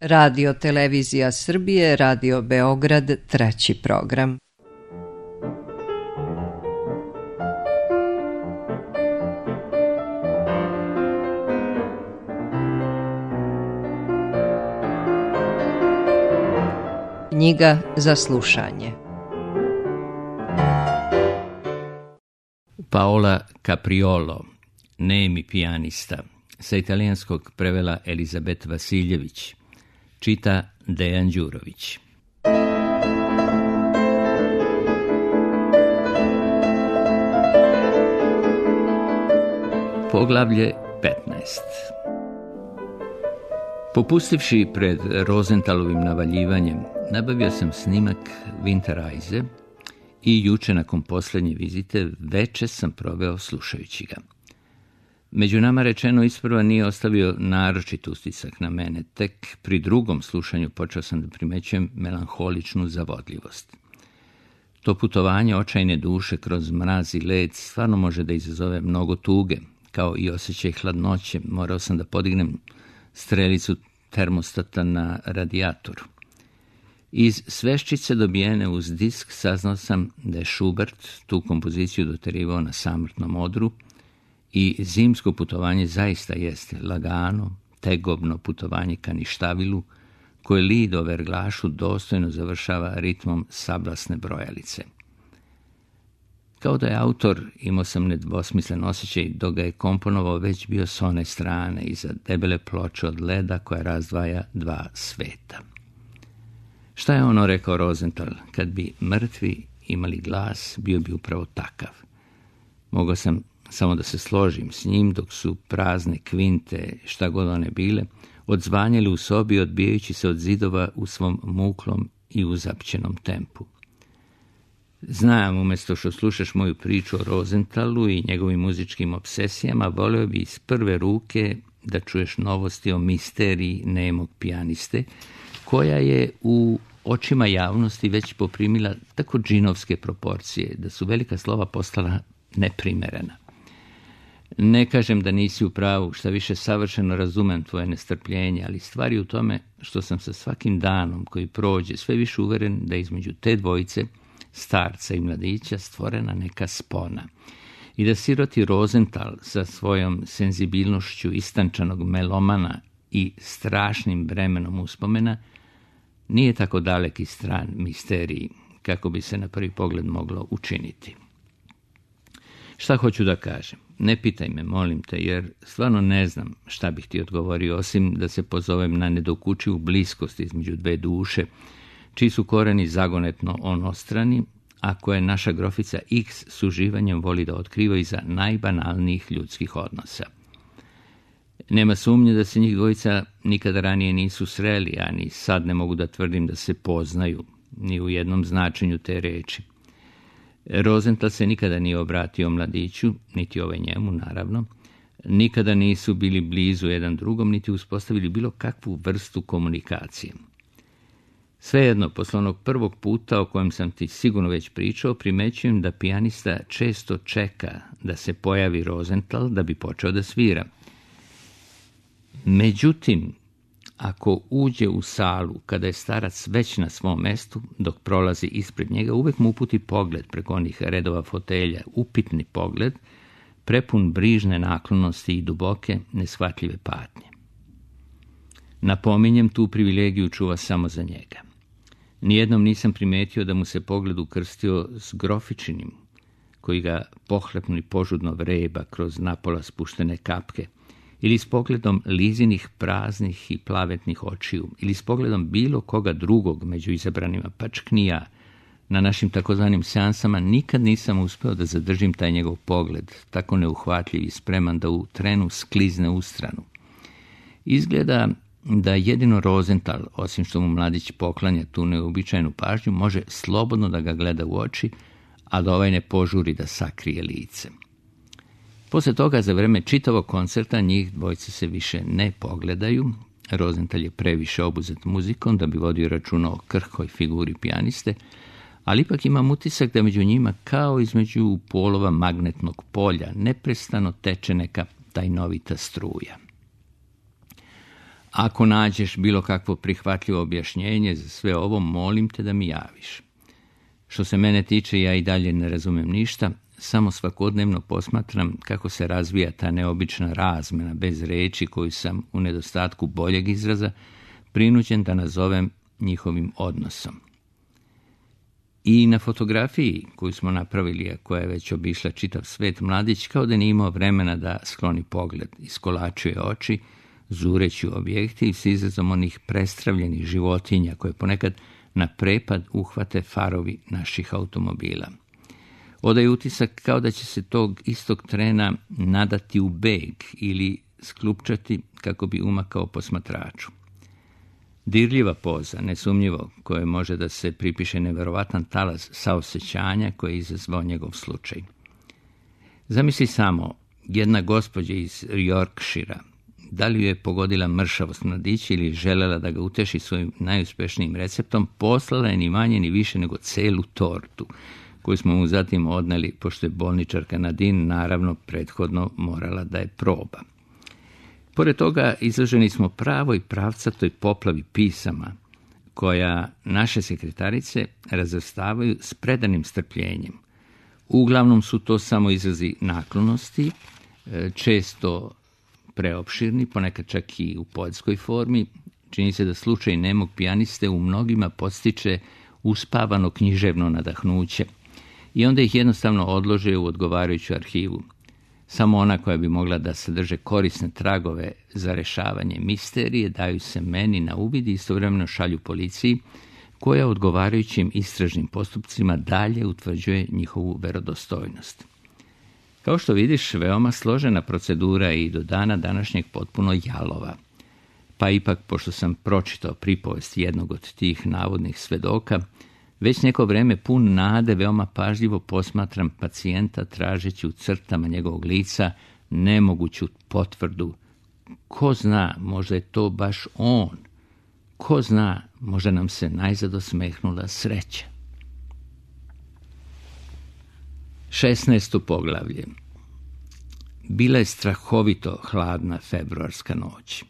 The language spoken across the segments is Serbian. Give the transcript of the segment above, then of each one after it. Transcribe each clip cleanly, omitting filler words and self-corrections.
Radio Televizija Srbije, Radio Beograd, treći program. Knjiga za slušanje. Paola Capriolo, nemi pijanista, sa italijanskog prevela Elizabet Vasiljević, čita Dejan Đurović. Poglavlje 15. Popustivši pred Rosenthalovim navaljivanjem, nabavio sam snimak Winterreise i juče nakon posljednje vizite veče sam proveo slušajući ga. Među nama rečeno isprva nije ostavio naročit utisak na mene, tek pri drugom slušanju počeo sam da primećujem melanholičnu zavodljivost. To putovanje očajne duše kroz mraz i led stvarno može da izazove mnogo tuge, kao i osjećaj hladnoće. Morao sam da podignem strelicu termostata na radijatoru. Iz sveščice dobijene uz disk saznao sam da je Schubert tu kompoziciju doterivao na samrtnom odru i zimsko putovanje zaista jeste lagano, tegobno putovanje ka ništavilu, koje lid o verglašu dostojno završava ritmom sablasne brojalice. Kao da je autor, imao sam nedvosmislen osjećaj, dok ga je komponovao već bio s one strane, iza debele ploče od leda koja razdvaja dva sveta. Šta je ono rekao Rosenthal? Kad bi mrtvi imali glas, bio bi upravo takav. Mogao sam samo da se složim s njim, dok su prazne kvinte, šta god one bile, odzvanjali u sobi, odbijajući se od zidova u svom muklom i uzapćenom tempu. Znam, umjesto što slušaš moju priču o Rosenthalu i njegovim muzičkim obsesijama, voleo bi iz prve ruke da čuješ novosti o misteriji nemog pijaniste, koja je u očima javnosti već poprimila tako džinovske proporcije, da su velika slova postala neprimerena. Ne kažem da nisi u pravu, šta više savršeno razumem tvoje nestrpljenje, ali stvari u tome što sam sa svakim danom koji prođe sve više uveren da između te dvojice, starca i mladića, stvorena neka spona i da siroti Rosenthal sa svojom senzibilnošću istančanog melomana i strašnim bremenom uspomena nije tako dalek i stran misteriji kako bi se na prvi pogled moglo učiniti. Šta hoću da kažem? Ne pitaj me, molim te, jer stvarno ne znam šta bih ti odgovorio, osim da se pozovem na nedokučivu bliskost između dve duše, čiji su koreni zagonetno onostrani, a koje naša grofica X s uživanjem voli da otkriva iza najbanalnijih ljudskih odnosa. Nema sumnje da se njih dvojica nikada ranije nisu sreli, a ni sad ne mogu da tvrdim da se poznaju, ni u jednom značenju te reči. Rosenthal se nikada nije obratio mladiću, niti ovaj njemu, naravno. Nikada nisu bili blizu jedan drugom, niti uspostavili bilo kakvu vrstu komunikacije. Svejedno, posle onog prvog puta o kojem sam ti sigurno već pričao, primećujem da pijanista često čeka da se pojavi Rosenthal da bi počeo da svira. Međutim, ako uđe u salu kada je starac već na svom mestu, dok prolazi ispred njega, uvek mu uputi pogled preko onih redova fotelja, upitni pogled, prepun brižne naklonosti i duboke, neshvatljive patnje. Napominjem, tu privilegiju čuva samo za njega. Nijednom nisam primetio da mu se pogled ukrstio s grofičinim, koji ga pohlepno i požudno vreba kroz napola spuštene kapke, ili s pogledom Lizinih praznih i plavetnih očiju, ili s pogledom bilo koga drugog među izabranima, pa čak ni ja. Na našim takozvanim seansama nikad nisam uspeo da zadržim taj njegov pogled, tako neuhvatljiv i spreman da u trenu sklizne u stranu. Izgleda da jedino Rosenthal, osim što mu mladić poklanja tu neobičajnu pažnju, može slobodno da ga gleda u oči, a da ovaj ne požuri da sakrije lice. Posle toga, za vreme čitavog koncerta, njih dvojice se više ne pogledaju. Rosenthal je previše obuzet muzikom da bi vodio računa o krhkoj figuri pijaniste, ali ipak imam utisak da među njima, kao između polova magnetnog polja, neprestano teče neka tajnovita struja. Ako nađeš bilo kakvo prihvatljivo objašnjenje za sve ovo, molim te da mi javiš. Što se mene tiče, ja i dalje ne razumem ništa, samo svakodnevno posmatram kako se razvija ta neobična razmjena bez reči koju sam, u nedostatku boljeg izraza, prinuđen da nazovem njihovim odnosom. I na fotografiji koju smo napravili, a koja je već obišla čitav svet, mladić kao da nije imao vremena da skloni pogled, iskolačuje oči, zureći u objektiv s izrazom onih prestravljenih životinja koje ponekad na prepad uhvate farovi naših automobila. Odaje utisak kao da će se tog istog trena nadati u beg ili sklupčati kako bi umakao posmatraču. Dirljiva poza, nesumnjivo, koje može da se pripiše neverovatan talas saosećanja koje je izazvao njegov slučaj. Zamisli samo, jedna gospođa iz Yorkshira, da li ju je pogodila mršavost mladića ili želela da ga uteši svojim najuspešnijim receptom, poslala je ni manje ni više nego celu tortu, koju smo mu zatim odneli, pošto je bolničarka Nadine naravno prethodno morala da je proba. Pored toga, izloženi smo pravoj pravcatoj poplavi pisama, koja naše sekretarice razvrstavaju s predanim strpljenjem. Uglavnom su to samo izrazi naklonosti, često preopširni, ponekad čak i u poetskoj formi. Čini se da slučaj nemog pijaniste u mnogima podstiče uspavano književno nadahnuće i onda ih jednostavno odlože u odgovarajuću arhivu. Samo ona koja bi mogla da sadrže korisne tragove za rešavanje misterije daju se meni na uvid i istovremeno šalju policiji, koja odgovarajućim istražnim postupcima dalje utvrđuje njihovu verodostojnost. Kao što vidiš, veoma složena procedura i do dana današnjeg potpuno jalova. Pa ipak, pošto sam pročitao pripovest jednog od tih navodnih svedoka, već neko vreme pun nade veoma pažljivo posmatram pacijenta tražeći u crtama njegovog lica nemoguću potvrdu. Ko zna, možda je to baš on. Ko zna, možda nam se najzad osmehnula sreća. 16. poglavlje. Bila je strahovito hladna februarska noć.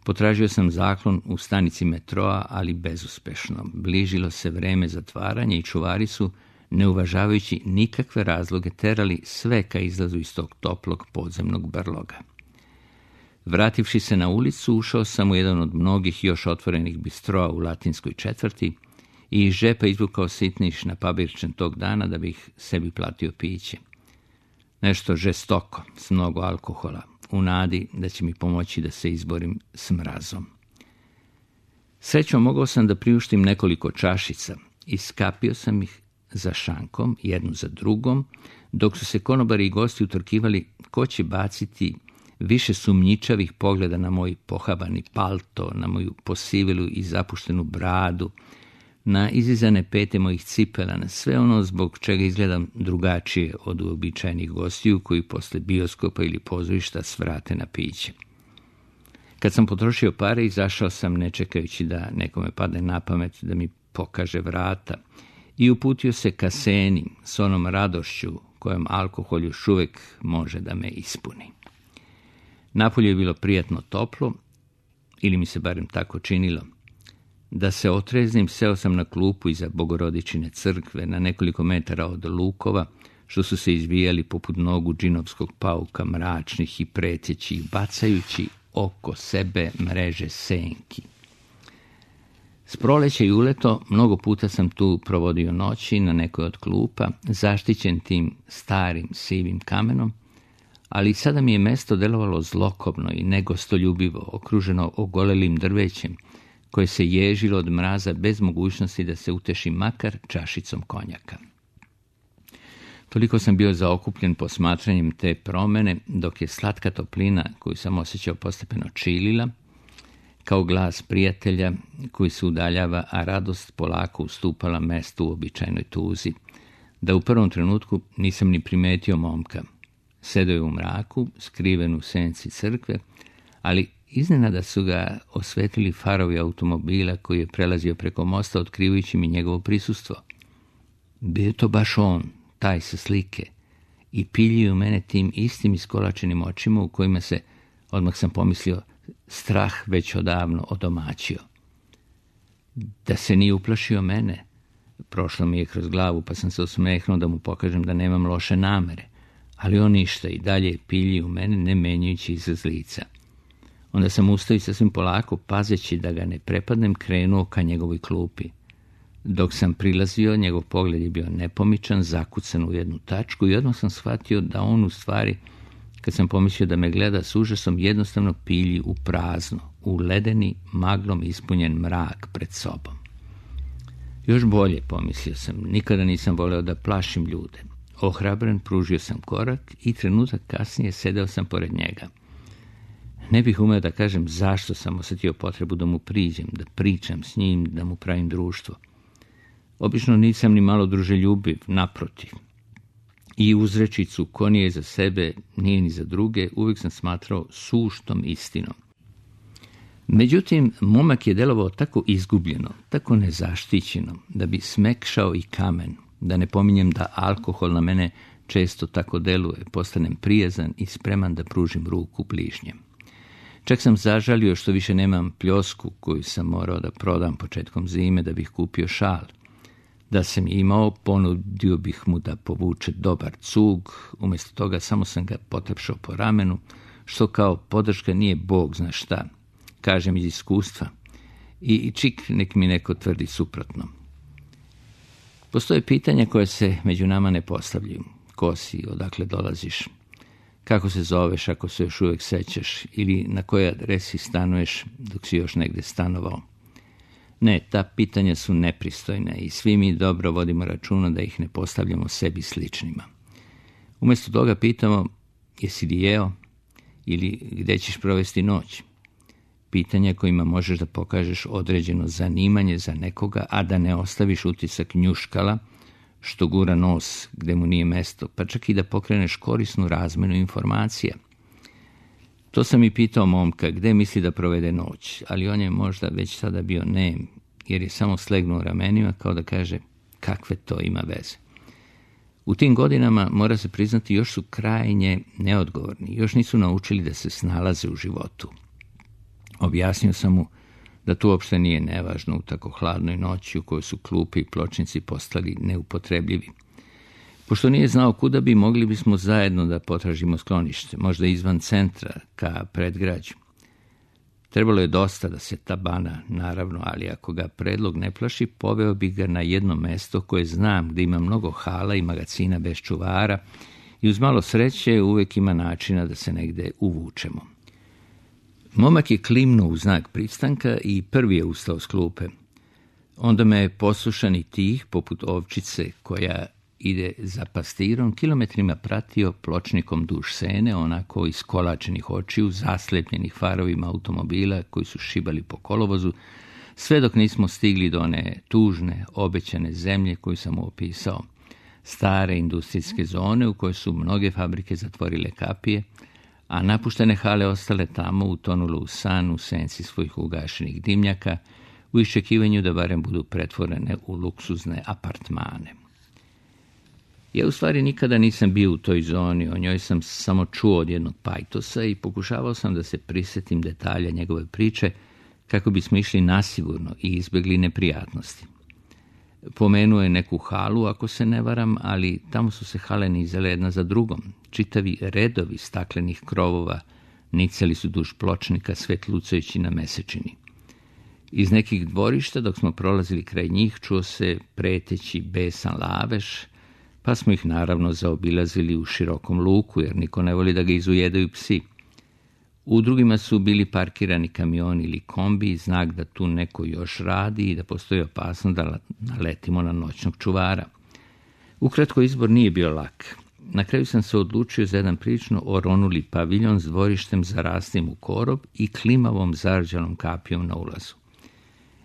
Potražio sam zaklon u stanici metroa, ali bezuspešno. Bližilo se vreme zatvaranja i čuvari su, ne uvažavajući nikakve razloge, terali sve ka izlazu iz tog toplog podzemnog brloga. Vrativši se na ulicu, ušao sam u jedan od mnogih još otvorenih bistroa u latinskoj četvrti i iz džepa izvukao sitniš na pabirčan tog dana da bih sebi platio piće. Nešto žestoko, s mnogo alkohola, u nadi da će mi pomoći da se izborim s mrazom. Srećom mogao sam da priuštim nekoliko čašica i skapio sam ih za šankom, jednu za drugom, dok su se konobari i gosti utrkivali ko će baciti više sumnjičavih pogleda na moj pohabani palto, na moju posivilu i zapuštenu bradu, na izizane pete mojih cipela, na sve ono zbog čega izgledam drugačije od uobičajenih gostiju koji posle bioskopa ili pozorišta svrate na piće. Kad sam potrošio pare, izašao sam ne čekajući da nekome padne na pamet da mi pokaže vrata i uputio se ka Seni s onom radošću kojom alkohol još uvek može da me ispuni. Napolju je bilo prijatno toplo, ili mi se barem tako činilo. Da se otreznim, seo sam na klupu iza Bogorodičine crkve na nekoliko metara od lukova, što su se izvijali poput nogu džinovskog pauka, mračnih i pretjećih, bacajući oko sebe mreže senki. S proleća i uleto mnogo puta sam tu provodio noći na nekoj od klupa, zaštićen tim starim sivim kamenom, ali sada mi je mesto delovalo zlokobno i negostoljubivo, okruženo ogolelim drvećem, koje se ježilo od mraza bez mogućnosti da se uteši makar čašicom konjaka. Toliko sam bio zaokupljen posmatranjem te promene, dok je slatka toplina koju sam osjećao postepeno čilila, kao glas prijatelja koji se udaljava, a radost polako ustupala mestu u običajnoj tuzi, da u prvom trenutku nisam ni primetio momka. Sedeo je u mraku, skriven u senci crkve, ali iznenada su ga osvetlili farovi automobila koji je prelazio preko mosta, otkrivajući mi njegovo prisustvo. Bio je to baš on, taj sa slike, i piljio mene tim istim iskolačenim očima u kojima se, odmah sam pomislio, strah već odavno odomaćio. Da se nije uplašio mene. Prošlo mi je kroz glavu, pa sam se osmehnuo da mu pokažem da nemam loše namere, ali on ništa i dalje pilji u mene, ne menjajući izraz lica. Onda sam ustao i sasvim polako, pazeći da ga ne prepadnem, krenuo ka njegovoj klupi. Dok sam prilazio, njegov pogled je bio nepomičan, zakucan u jednu tačku i odmah sam shvatio da on u stvari, kad sam pomislio da me gleda s užasom, jednostavno pilji u prazno, u ledeni, maglom ispunjen mrak pred sobom. Još bolje, pomislio sam, nikada nisam voleo da plašim ljude. Ohrabren, pružio sam korak i trenutak kasnije sedeo sam pored njega. Ne bih umeo da kažem zašto sam osjetio potrebu da mu priđem, da pričam s njim, da mu pravim društvo. Obično nisam ni malo druželjubiv, naprotiv. I uzrečicu ko nije za sebe, nije ni za druge, uvijek sam smatrao suštom istinom. Međutim, momak je delovao tako izgubljeno, tako nezaštićeno, da bi smekšao i kamen, da ne pominjem da alkohol na mene često tako deluje, postanem prijazan i spreman da pružim ruku bližnjem. Čak sam zažalio što više nemam pljosku koju sam morao da prodam početkom zime da bih kupio šal. Da sam imao, ponudio bih mu da povuče dobar cug, umjesto toga samo sam ga potapšao po ramenu, što kao podrška nije Bog zna šta, kažem iz iskustva, i čik nek mi neko tvrdi suprotno. Postoje pitanja koje se među nama ne postavljaju. Ko si, odakle dolaziš, kako se zoveš ako se još uvijek sećaš ili na kojoj adresi stanuješ dok si još negdje stanovao. Ne, ta pitanja su nepristojne i svi mi dobro vodimo računa da ih ne postavljamo sebi sličnima. Umjesto toga pitamo jesi li jeo ili gdje ćeš provesti noć. Pitanja kojima možeš da pokažeš određeno zanimanje za nekoga, a da ne ostaviš utisak njuškala što gura nos gdje mu nije mesto, pa čak i da pokreneš korisnu razmenu informacija. To sam i pitao momka gdje misli da provede noć, ali on je možda već sada bio nem, jer je samo slegnuo ramenima kao da kaže kakve to ima veze. U tim godinama, mora se priznati, još su krajnje neodgovorni, još nisu naučili da se snalaze u životu. Objasnio sam mu da to uopšte nije nevažno u tako hladnoj noći u kojoj su klupe i pločnici postali neupotrebljivi. Pošto nije znao kuda bi, mogli bismo zajedno da potražimo sklonište, možda izvan centra, ka predgrađu. Trebalo je dosta da se tabana, naravno, ali ako ga predlog ne plaši, poveo bi ga na jedno mesto koje znam gdje ima mnogo hala i magacina bez čuvara i uz malo sreće uvijek ima načina da se negdje uvučemo. Momak je klimnuo u znak pristanka i prvi je ustao s klupe. Onda me je poslušan i tih, poput ovčice koja ide za pastirom, kilometrima pratio pločnikom duž Sene, onako iskolačenih očiju, zaslepljenih farovima automobila koji su šibali po kolovozu, sve dok nismo stigli do one tužne, obećane zemlje koju sam mu opisao. Stare industrijske zone u kojoj su mnoge fabrike zatvorile kapije, a napuštene hale ostale tamo, utonule u san u senci svojih ugašenih dimnjaka, u iščekivanju da barem budu pretvorene u luksuzne apartmane. Ja u stvari nikada nisam bio u toj zoni, o njoj sam samo čuo od jednog pajtosa i pokušavao sam da se prisjetim detalja njegove priče kako bismo išli nasigurno i izbjegli neprijatnosti. Pomenuo je neku halu, ako se ne varam, ali tamo su se hale nizale jedna za drugom. Čitavi redovi staklenih krovova nicali su duž pločnika svetlucajući na mesečini. Iz nekih dvorišta, dok smo prolazili kraj njih, čuo se preteći besan lavež, pa smo ih naravno zaobilazili u širokom luku, jer niko ne voli da ga izujedaju psi. U drugima su bili parkirani kamioni ili kombi, znak da tu neko još radi i da postoji opasnost da naletimo na noćnog čuvara. Ukratko, izbor nije bio lak. Na kraju sam se odlučio za jedan prilično oronuli paviljon s dvorištem zaraslim u korov i klimavom zarđanom kapijom na ulazu.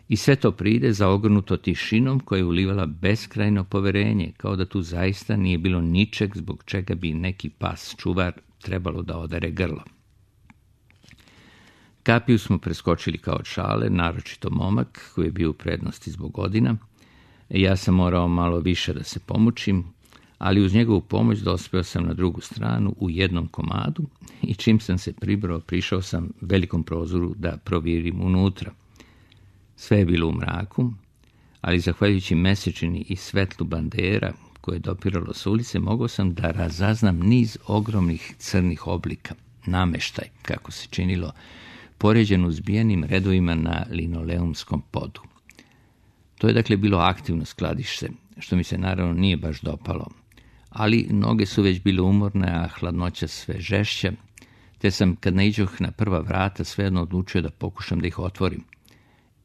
I sve to pride zaogrnuto tišinom koja je ulivala beskrajno poverenje, kao da tu zaista nije bilo ničeg zbog čega bi neki pas čuvar trebalo da odere grlo. Kapiju smo preskočili kao šale, naročito momak koji je bio u prednosti zbog godina. Ja sam morao malo više da se pomučim, ali uz njegovu pomoć dospeo sam na drugu stranu u jednom komadu i čim sam se pribrao, prišao sam velikom prozoru da provjerim unutra. Sve je bilo u mraku, ali zahvaljujući mesečini i svetlu bandera koje je dopiralo s ulice, mogao sam da razaznam niz ogromnih crnih oblika, nameštaj, kako se činilo, poređen u zbijenim redovima na linoleumskom podu. To je dakle bilo aktivno skladište, što mi se naravno nije baš dopalo, ali noge su već bile umorne, a hladnoća sve žešća, te sam, kad naiđoh na prva vrata, svejedno odlučio da pokušam da ih otvorim.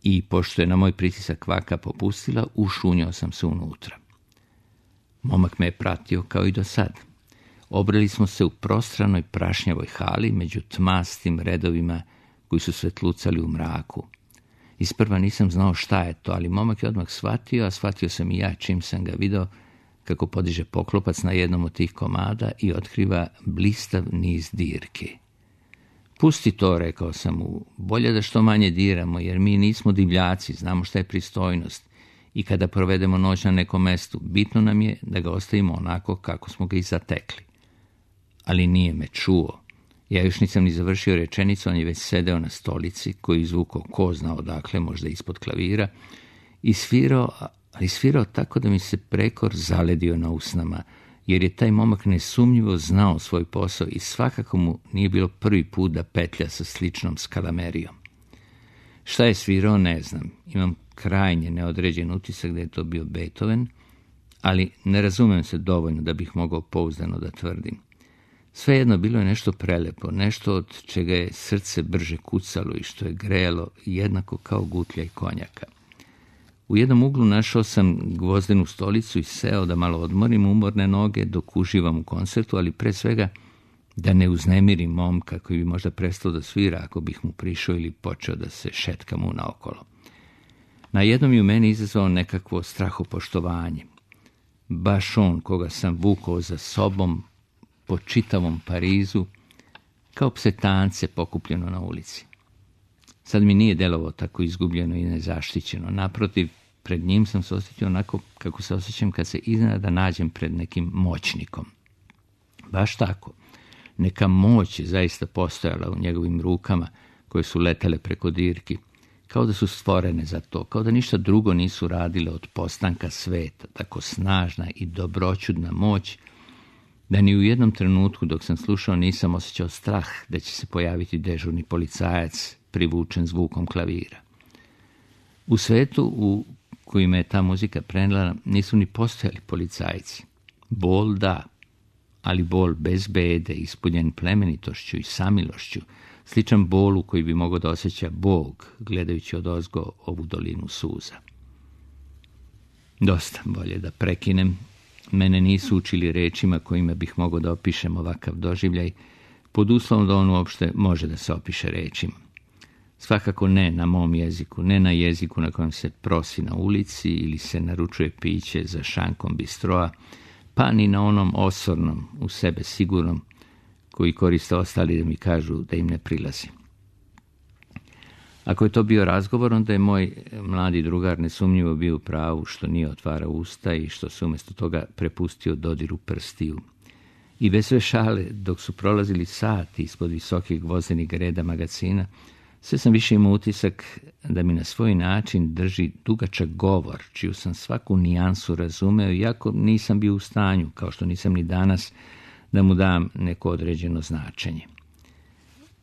I pošto je na moj pritisak kvaka popustila, ušunjao sam se unutra. Momak me je pratio kao i do sad. Obreli smo se u prostranoj prašnjavoj hali među tmastim redovima koji su svetlucali u mraku. Isprva nisam znao šta je to, ali momak je odmah shvatio, a shvatio sam i ja čim sam ga video kako podiže poklopac na jednom od tih komada i otkriva blistav niz dirke. Pusti to, rekao sam mu, bolje da što manje diramo, jer mi nismo divljaci, znamo šta je pristojnost i kada provedemo noć na nekom mestu, bitno nam je da ga ostavimo onako kako smo ga i zatekli. Ali nije me čuo. Ja još nisam ni završio rečenicu, on je već sedeo na stolici koju izvukao ko zna odakle, možda ispod klavira, i svirao tako da mi se prekor zaledio na usnama, jer je taj momak nesumnjivo znao svoj posao i svakako mu nije bilo prvi put da petlja sa sličnom skalamerijom. Šta je svirao, ne znam. Imam krajnje neodređen utisak da je to bio Beethoven, ali ne razumem se dovoljno da bih mogao pouzdano da tvrdim. Svejedno bilo je nešto prelepo, nešto od čega je srce brže kucalo i što je grejalo jednako kao gutlja i konjaka. U jednom uglu našao sam gvozdenu stolicu i seo da malo odmorim umorne noge dok uživam u koncertu, ali pre svega da ne uznemirim momka koji bi možda prestao da svira ako bih mu prišao ili počeo da se šetka mu naokolo. Na jednom je u meni izazvao nekakvo strahopoštovanje. Baš on koga sam vukao za sobom po čitavom Parizu, kao psetance pokupljeno na ulici. Sad mi nije delovao tako izgubljeno i nezaštićeno. Naprotiv, pred njim sam se osjećao onako kako se osjećam kad se iznenada nađem pred nekim moćnikom. Baš tako. Neka moć je zaista postojala u njegovim rukama koje su letele preko dirki, kao da su stvorene za to, kao da ništa drugo nisu radile od postanka sveta, tako snažna i dobroćudna moć, da ni u jednom trenutku dok sam slušao nisam osjećao strah da će se pojaviti dežurni policajac privučen zvukom klavira. U svetu u kojima je ta muzika prenela nisu ni postojali policajci. Bol da, ali bol bez bede, ispunjen plemenitošću i samilošću, sličan bolu koji bi mogao da osjeća Bog, gledajući odozgo ovu dolinu suza. Dosta, bolje da prekinem. Mene nisu učili rečima kojima bih mogao da opišem ovakav doživljaj, pod uslovom da on uopšte može da se opiše rečima. Svakako ne na mom jeziku, ne na jeziku na kojem se prosi na ulici ili se naručuje piće za šankom bistroa, pa ni na onom osornom, u sebe sigurnom, koji koriste ostali da mi kažu da im ne prilazi. Ako je to bio razgovor, onda je moj mladi drugar nesumnjivo bio u pravu što nije otvarao usta i što se umjesto toga prepustio dodiru prstiju. I bez sve šale, dok su prolazili sati ispod visokih gvozdenih reda magazina, sve sam više imao utisak da mi na svoj način drži dugačak govor, čiju sam svaku nijansu razumeo, iako nisam bio u stanju, kao što nisam ni danas, da mu dam neko određeno značenje.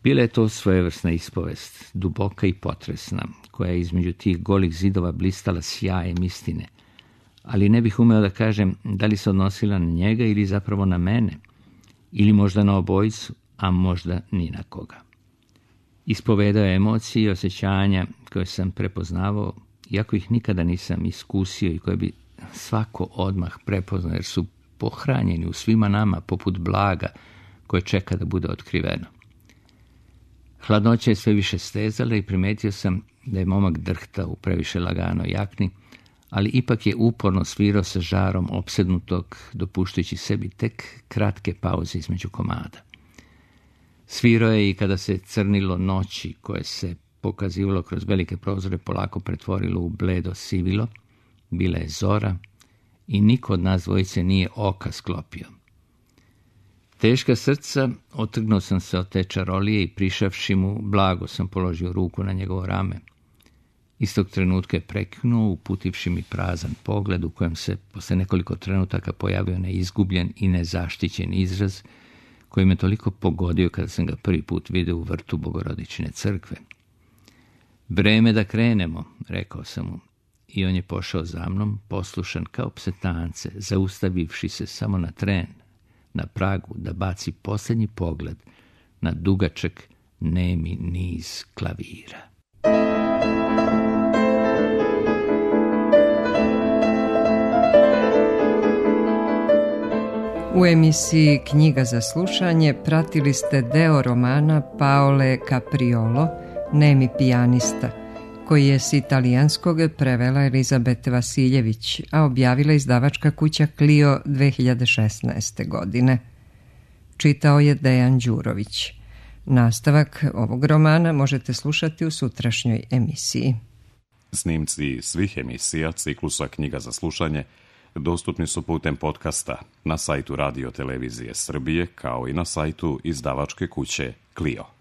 Bila je to svojevrsna ispovest, duboka i potresna, koja je između tih golih zidova blistala sjajem istine, ali ne bih umeo da kažem da li se odnosila na njega ili zapravo na mene, ili možda na obojicu, a možda ni na koga. Ispovedao je emocije i osjećanja koje sam prepoznavao, iako ih nikada nisam iskusio i koje bi svako odmah prepoznao, jer su pohranjeni u svima nama poput blaga koje čeka da bude otkriveno. Hladnoća je sve više stezala i primetio sam da je momak drhtao u previše laganoj jakni, ali ipak je uporno svirao sa žarom opsednutog, dopuštajući sebi tek kratke pauze između komada. Svirao je i kada se crnilo noći koje se pokazivalo kroz velike prozore polako pretvorilo u bledo sivilo, bila je zora i niko od nas dvojice nije oka sklopio. Teška srca, otrgnuo sam se od te čarolije i prišavši mu, blago sam položio ruku na njegovo rame. Istog trenutka je preknuo, uputivši mi prazan pogled u kojem se posle nekoliko trenutaka pojavio neizgubljen i nezaštićen izraz koji me toliko pogodio kada sam ga prvi put vidio u vrtu Bogorodične crkve. Vreme da krenemo, rekao sam mu, i on je pošao za mnom, poslušan kao psetance, zaustavivši se samo na tren, na pragu da baci posljednji pogled na dugačak nemi niz klavira. U emisiji Knjiga za slušanje pratili ste deo romana Paole Capriolo, Nemi pijanista, koji je s italijanskog prevela Elizabete Vasiljević, a objavila izdavačka kuća Clio 2016. godine. Čitao je Dejan Đurović. Nastavak ovog romana možete slušati u sutrašnjoj emisiji. Snimci svih emisija ciklusa Knjiga za slušanje dostupni su putem podcasta na sajtu Radio Televizije Srbije kao i na sajtu izdavačke kuće Clio.